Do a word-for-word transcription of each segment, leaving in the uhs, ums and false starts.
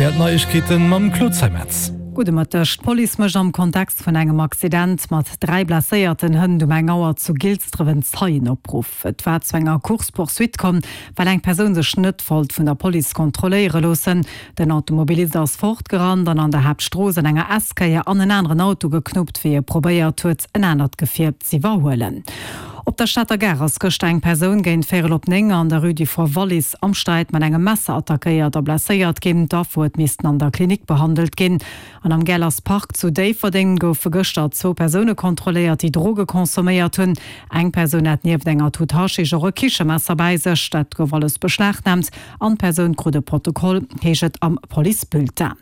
R T L Neiegkeeten mam Claude Zeimetz. Gudde Mëtteg. D'Police mécht am Kontext vun engem Accident mat dräi blesséierten Hënt um eng Auer zu Gilsdref en Zeienopruff. Et war zu enger Course-poursuite komm, well eng Persoun sech net wollt vun der Police kontrolléiere loossen. Den Automobilist ass fortgerannt an an der Haaptstrooss an enger S-Kéier an en aneren Auto geknuppt, wéi e probéiert huet, en anert Gefier z'iwwerhuelen. Op der Stater Gare ass gëschter eng Persoun géint véierel op néng an der Rue du Fort Wallis am Sträit mat engem Messer attackéiert a blesséiert ginn. D'Affer huet missten an der Klinik behandelt ginn. An am Geller's Park zu Déifferdeng goufe gëschter zwou Persoune kontrolléiert, déi Droge consomméiert hunn. Eng Persoun hat nieft enger Tut Haschisch och e Kichemesser bäi sech. Dat gouf alles beschlagnaamt an d'Persoun krut e Protokoll, heescht et am Policebulletin.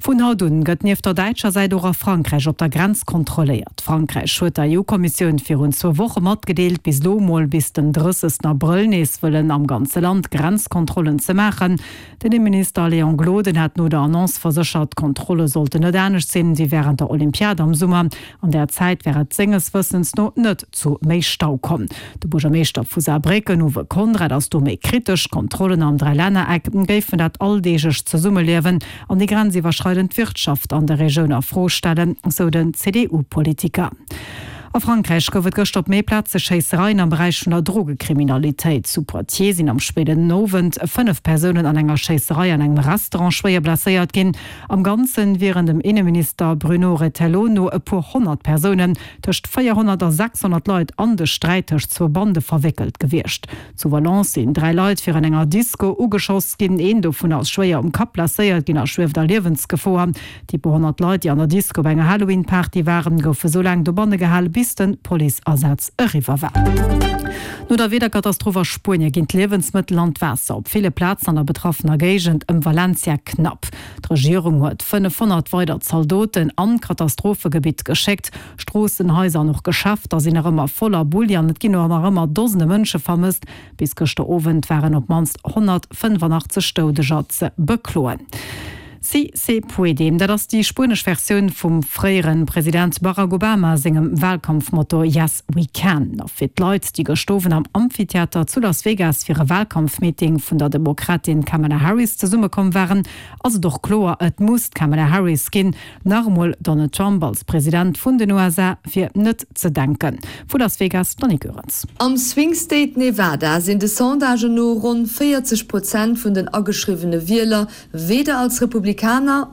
Vun haut un gëtt nieft der däitscher Säit och a Frankräich op der Grenz kontrolléiert. Frankräich huet der E U-Kommissioun virun zwou Woche matgedeelt, bis elo mol bis den drëssegsten Abrëll nees wëllen am ganze Land Grenzkontrollen ze maachen. Den Inneminister Léon Gloden hat no der Annonce verséchert, d'Kontrolle sollten net anescht sinn wéi wärend der Olympiad am Summer. An där Zäit wär et senges Wëssens no net zu méi Stau komm. De Buergermeeschter vu Saarbrécken Uwe Conrad ass do méi kritesch, Kontrollen am Dräilännereck géifen dat alldeeglecht Zesummeliewen an déi grenziwwerschreidend Wirtschaft an der Regioun a Fro stellen, sou den C D U-Politiker. A Frankräich gouf et gëschter op méi Plaze Schéissereien am Beräich vun der Drogekriminalitéit. Zu Poitiers sinn am spéiden Owend fënnef Persounen an enger Schéisserei an engem Restaurant schwéier blesséiert ginn. Am Ganze wieren dem Inneminister Bruno Retailleau no e puer honnert Persounen, tëscht véierhonnert a sechshonnert Leit, an de Sträit tëscht zwou Bande verwéckelt gewiescht. Zu Valence sinn dräi Leit virun enger Disco ugeschoss ginn. Een dovun ass schwéier um Kapp blesséiert ginn a schwieft a Liewensgefor. Déi puer honnert Leit, déi an der Disco bei enger Halloween-Party waren, goufe sou laang dobanne gehalen, bis de Policeasaz eriwwer war. No der Wiederkatastroph a Spuenie ginn d'Liewensmëttel an d'Waasser op ville Plazen an der betraffener Géigend ëm Valencia knapp. D'Regierung huet fënnefhonnert weider Zaldoten an d'Katastrophegebitt geschéckt. Stroossen, Haiser an och Geschäfter sinn nach ëmmer voller Bulli an et ginn och nach ëmmer Dosende Mënsche vermësst. Bis gëschter Owend waren op d'mannst honnertfënnefanachtzeeg Doudeger ze bekloen. Sí se puede, dat ass déi spuenesch Versioun vum fréiere President Barack Obama sengem Walkampfmotto Yes we can. A fir d'Leit, déi gëschter Owend am Amphitheater zu Las Vegas fir e Walkampfmeeting vun der Demokratin Kamala Harris zesummekomm waren, ass et och kloer, et muss d'Kamala Harris ginn. Nach emol Donald Trump als President vun den U S A wier net ze denken. Vu Las Vegas, d'Annick Goerens. Am Swing State Nevada sinn de Sondagen no ronn véierzeg Prozent vun den ageschriwwene Wieler weder als Republikaner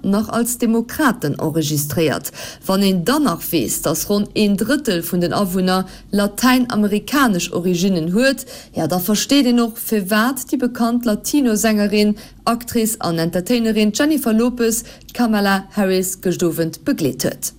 nach als Demokraten enregistréiert. Wann een dann nach weess, datt ronn een Drëttel vun den Awunner latäinamerikanesch Originnen huet, ja da versteet een och, firwat déi bekannt Latino-Sängerin, Actrice an Entertainerin Jennifer Lopez d'Kamala Harris gëscht Owend begleet huet.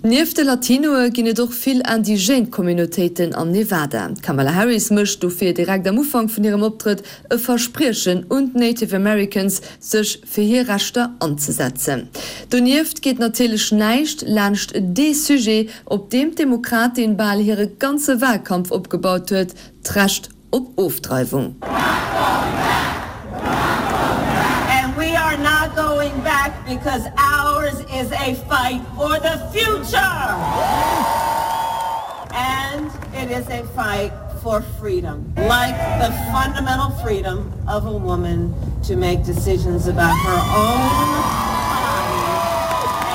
Nieft de Latinoe ginn et och vill indigène Communautéiten am Nevada. D'Kamala Harris mécht dofir direkt am Ufank vun hirem Optrëtt e Verspriechen un d'Native Americans, sech fir hir Rechter anzesetzen. Donieft geet natierlech näischt laanscht dee Sujet, op deem d'Demokratin bal hire ganze Walkampf opgebaut huet, d'Recht op Ofdreiwung. And we are not going back because ours is a fight for the future. And it is a fight for freedom, like the fundamental freedom of a woman to make decisions about her own body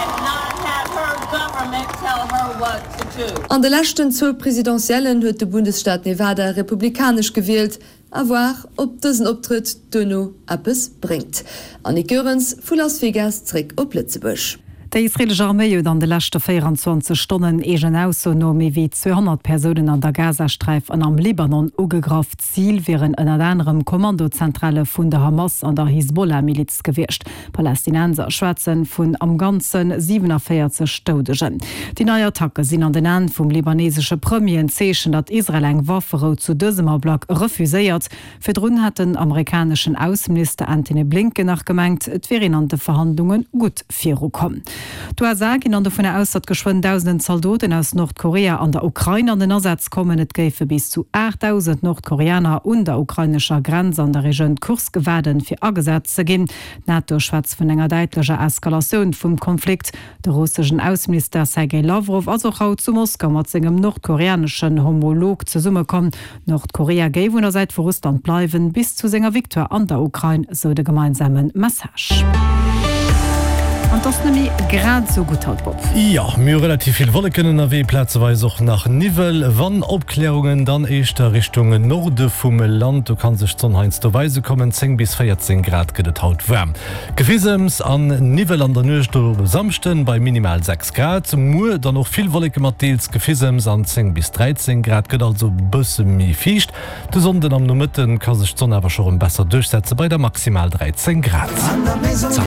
and not have her government tell her what to do. An de leschten zwou Presidentiellen huet de Bundesstaat Nevada republikanesch gewielt. À voir, ob dësen Optrëtt duerno eppes bréngt. Annick Goerens vu Las Vegas zréck op Lëtzebuerg. Déi israeelesch Arméi huet an de leschte véieranzwanzeg Stonnen eegener Ausso no méi wéi zweehonnert Persounen an der Gazasträif an am Libanon ugegraff. Zil wieren ënnert anerem Kommandozentrale vun der Hamas an der Hisbollah-Miliz gewiescht. Palästinenser schwätze vun am Ganze siewenenvéierzeg Doudegen. Déi nei Attacke sinn an den Aen vum libanesesche Premier en Zeechen, datt Israel eng Wafferou zu dësem Ablack refuséiert. Virdrun hat den amerikaneschen Ausseminister Antony Blinken nach gemengt, et wier een an de Verhandlunge gutt virukomm. D'USA ginn an dovunner aus, datt geschwënn dausenden Zaldoten aus Nordkorea an der Ukrain an den Asaz kommen. Et géife bis zu aachtdausend Nordkoreaner un der ukrainescher Grenz an der Regioun Kursk waarden, fir agesat ze ginn. D'NATO schwätzt vun enger däitlecher Eskalatioun vum Konflikt. De russeschen Ausseminister Sergej Lawrow ass och haut zu Moskau mat sengem nordkoreaneschen Homolog zesummekomm. Nordkorea géif un der Säit vu Russland bleiwen, bis zu senger Victoire an der Ukrain, sou de gemeinsame Message. An 't ass net méi grad sou gutt haut, Bob. Jo, mir hu relativ vill Wolleken ënnerwee, plazeweis och nach Niwwel. Wann Opklärungen, dann éischter Richtung Norde vum Land, do ka sech d'Sonn heiansdo weise kommen. zéng bis véierzéng Grad gëtt et haut waarm. Gefisems an Niwwel an der Nuecht op e Samschden bei minimal sechs Grad. Muer dann och vill Wolleke mat deels Gefisems an zéng bis dräizéng Grad, gëtt also bësse méi fiicht. De Sonnden am Nomëtte ka sech d'Sonn awer scho rëm besser duerchsetze bei da maximal dräizéng Grad.